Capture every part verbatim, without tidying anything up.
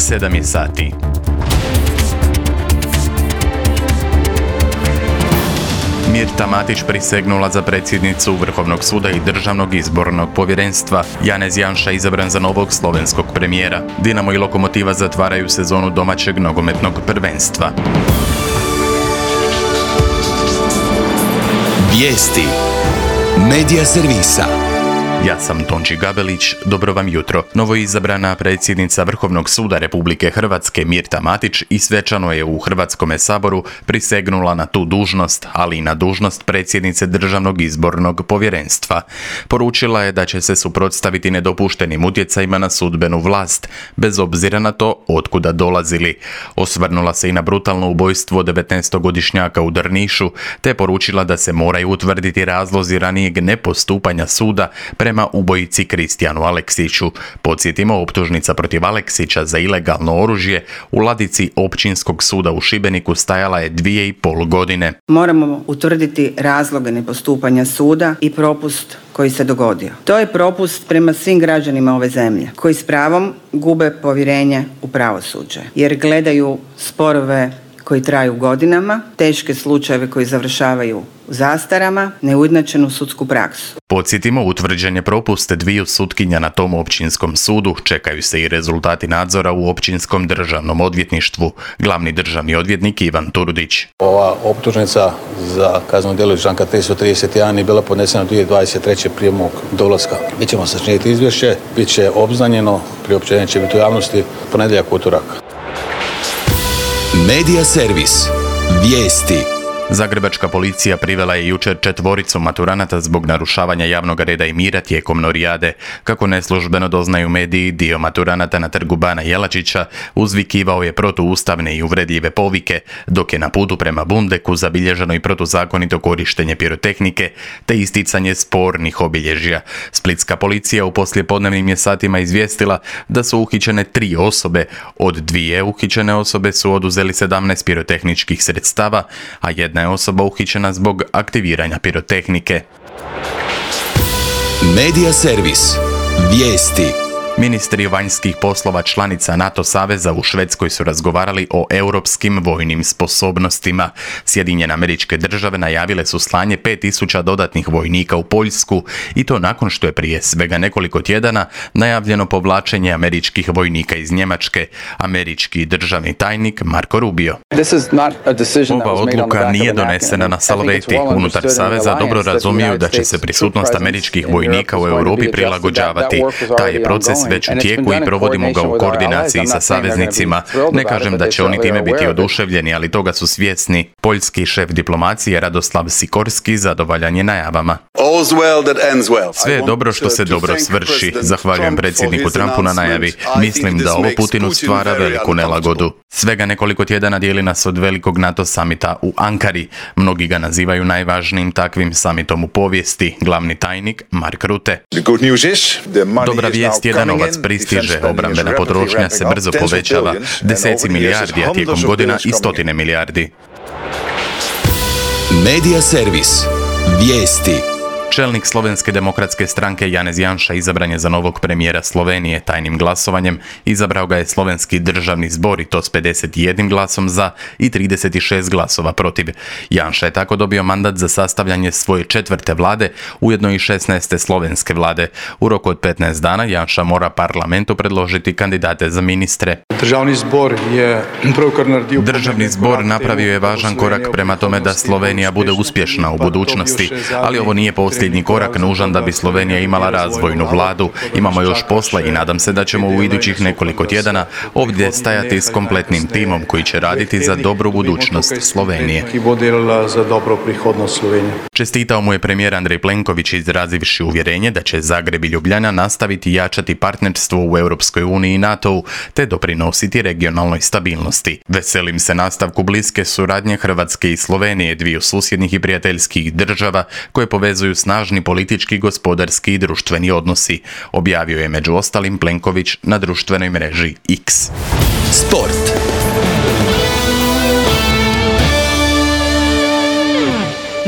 sedam je sati. Mirta Matić prisegnula za predsjednicu Vrhovnog suda i Državnog izbornog povjerenstva. Janez Janša izabran za novog slovenskog premijera. Dinamo i Lokomotiva zatvaraju sezonu domaćeg nogometnog prvenstva. Vijesti Medija servisa. Ja sam Tonči Gabelić, dobro vam jutro. Novoizabrana predsjednica Vrhovnog suda Republike Hrvatske Mirta Matić i svečano je u Hrvatskome saboru prisegnula na tu dužnost, ali i na dužnost predsjednice Državnog izbornog povjerenstva. Poručila je da će se suprotstaviti nedopuštenim utjecajima na sudbenu vlast, bez obzira na to otkuda dolazili. Osvrnula se i na brutalno ubojstvo devetnaestogodišnjaka u Drnišu, te poručila da se moraju utvrditi razlozi ranijeg nepostupanja suda prema ubojici Kristijanu Aleksiću. Podsjetimo, optužnica protiv Aleksića za ilegalno oružje u ladici Općinskog suda u Šibeniku stajala je dvije i pol godine. Moramo utvrditi razloge nepostupanja suda i propust koji se dogodio. To je propust prema svim građanima ove zemlje, koji s pravom gube povjerenje u pravosuđe, jer gledaju sporove koji traju godinama, teške slučajeve koji završavaju u zastarama, neujednačenu sudsku praksu. Podsjetimo, utvrđen je propust dviju sutkinja na tom općinskom sudu. Čekaju se i rezultati nadzora u Općinskom državnom odvjetništvu. Glavni državni odvjetnik Ivan Turudić. Ova optužnica za kazneno djelo iz članka tristo trideset jedan je bila podnesena dvije tisuće dvadeset treće prije mog dolaska. Mi ćemo sačiniti izvješće, bit će obznanjeno, priopćenje će biti u javnosti ponedjeljak, utorak. Medija servis. Vijesti. Zagrebačka policija privela je jučer četvoricu maturanata zbog narušavanja javnog reda i mira tijekom norijade. Kako neslužbeno doznaju mediji, dio maturanata na trgu Bana Jelačića uzvikivao je protuustavne i uvredljive povike, dok je na putu prema Bundeku zabilježeno i protuzakonito korištenje pirotehnike te isticanje spornih obilježja. Splitska policija u poslijepodnevnim je satima izvijestila da su uhićene tri osobe. Od dvije uhićene osobe su oduzeli sedamnaest pirotehničkih sredstava, a jedna je osoba uhićena zbog aktiviranja pirotehnike. Medija servis. Vijesti. Ministri vanjskih poslova članica NATO saveza u Švedskoj su razgovarali o europskim vojnim sposobnostima. Sjedinjene Američke Države najavile su slanje pet tisuća dodatnih vojnika u Poljsku i to nakon što je prije svega nekoliko tjedana najavljeno povlačenje američkih vojnika iz Njemačke. Američki državni tajnik Marko Rubio. Ova odluka nije donesena na salveti. Unutar saveza dobro razumiju da će se prisutnost američkih vojnika u Europi prilagođavati. Taj je proces već u tijeku i provodimo ga u koordinaciji sa saveznicima. Ne kažem da će oni time biti oduševljeni, ali toga su svjesni. Poljski šef diplomacije Radoslav Sikorski zadovoljan je najavama. Sve je dobro što se dobro svrši. Zahvaljujem predsjedniku Trumpu na najavi. Mislim da ovo Putinu stvara veliku nelagodu. Svega nekoliko tjedana dijeli nas od velikog NATO samita u Ankari. Mnogi ga nazivaju najvažnijim takvim samitom u povijesti. Glavni tajnik Mark Rutte. Dobra vijest je da novac pristiže, obrambena potrošnja se brzo povećava, deseci milijardi, a tijekom godina i stotine milijardi. Medija servis. Vijesti. Čelnik Slovenske demokratske stranke Janez Janša izabran je za novog premijera Slovenije tajnim glasovanjem. Izabrao ga je Slovenski državni zbor i to s pedeset jedan glasom za i trideset šest glasova protiv. Janša je tako dobio mandat za sastavljanje svoje četvrte vlade, ujedno i šesnaeste slovenske vlade. U roku od petnaest dana Janša mora parlamentu predložiti kandidate za ministre. Državni zbor je Državni zbor napravio je važan korak prema tome da Slovenija bude uspješna u budućnosti, ali ovo nije posljednji korak nužan da bi Slovenija imala razvojnu vladu. Imamo još posla i nadam se da ćemo u idućih nekoliko tjedana ovdje stajati s kompletnim timom koji će raditi za dobru budućnost Slovenije. Čestitao mu je premijer Andrej Plenković izrazivši uvjerenje da će Zagreb i Ljubljana nastaviti jačati partnerstvo u Europskoj uniji i NATO-u te doprinositi regionalnoj stabilnosti. Veselim se nastavku bliske suradnje Hrvatske i Slovenije, dviju susjednih i prijateljskih država koje povezuju snažni politički, gospodarski i društveni odnosi, objavio je među ostalim Plenković na društvenoj mreži X. Sport.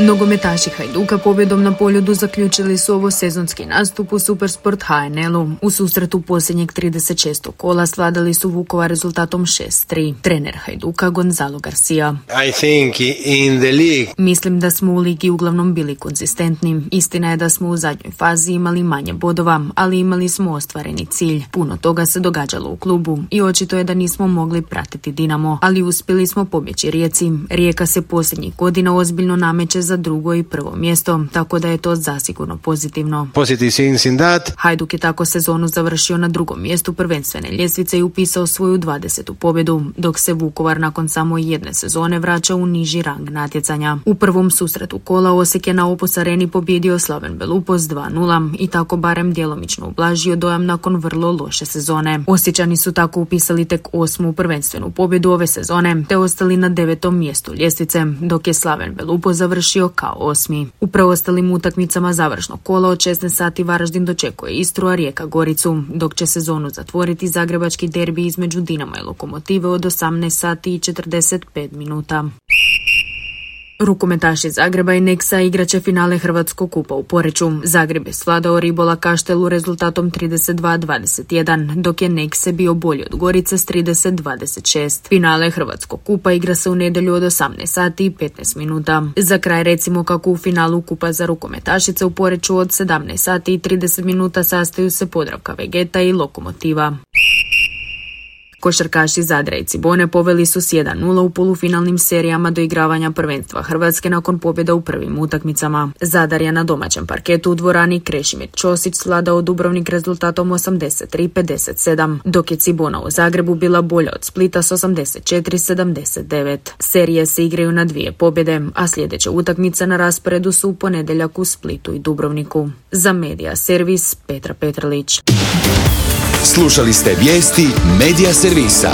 Nogometaši Hajduka pobjedom na Poljudu zaključili su ovo sezonski nastup u Supersport H N L-u. U susretu posljednjeg trideset šestog kola svladali su Vukovar rezultatom šest tri. Trener Hajduka Gonzalo Garcia. I think in the league. Mislim da smo u ligi uglavnom bili konzistentni. Istina je da smo u zadnjoj fazi imali manje bodova, ali imali smo ostvareni cilj. Puno toga se događalo u klubu i očito je da nismo mogli pratiti Dinamo, ali uspjeli smo pobjeći Rijeci. Rijeka se posljednjih godina ozbiljno nameće za drugo i prvo mjesto, tako da je to zasigurno pozitivno. Positive things in that. Hajduk je tako sezonu završio na drugom mjestu prvenstvene ljestvice i upisao svoju dvadesetu pobjedu, dok se Vukovar nakon samo jedne sezone vraća u niži rang natjecanja. U prvom susretu kola Osijek je na Opus Areni pobjedio Slaven Belupos dva nula i tako barem djelomično ublažio dojam nakon vrlo loše sezone. Osječani su tako upisali tek osmu prvenstvenu pobjedu ove sezone, te ostali na devetom mjestu ljestvice, dok je Slaven Belupos završio kao osmi. U preostalim utakmicama završnog kola od šesnaest sati Varaždin dočekuje Istru, a Rijeka Goricu, dok će sezonu zatvoriti zagrebački derbi između Dinama i Lokomotive od osamnaest sati i četrdeset pet minuta. Rukometaši Zagreba i Nexa igraće finale Hrvatskog kupa u Poreču. Zagreb je svladao Ribola Kaštelu rezultatom trideset dva dvadeset jedan, dok je Nexe bio bolji od Gorice s trideset dvadeset šest. Finale Hrvatskog kupa igra se u nedjelju od osamnaest sati i petnaest minuta. Za kraj recimo kako u finalu kupa za rukometašice u Poreču od sedamnaest sati i trideset minuta sastaju se Podravka Vegeta i Lokomotiva. Košarkaši Zadra i Cibone poveli su s jedan nula u polufinalnim serijama doigravanja prvenstva Hrvatske nakon pobjeda u prvim utakmicama. Zadar je na domaćem parketu u dvorani Krešimir Ćosić svladao Dubrovnik rezultatom osamdeset tri pedeset sedam, dok je Cibona u Zagrebu bila bolja od Splita s osamdeset četiri sedamdeset devet. Serije se igraju na dvije pobjede, a sljedeće utakmice na rasporedu su u ponedjeljak u Splitu i Dubrovniku. Za Medija Servis Petra Petrlić. Slušali ste vijesti Medija Servisa.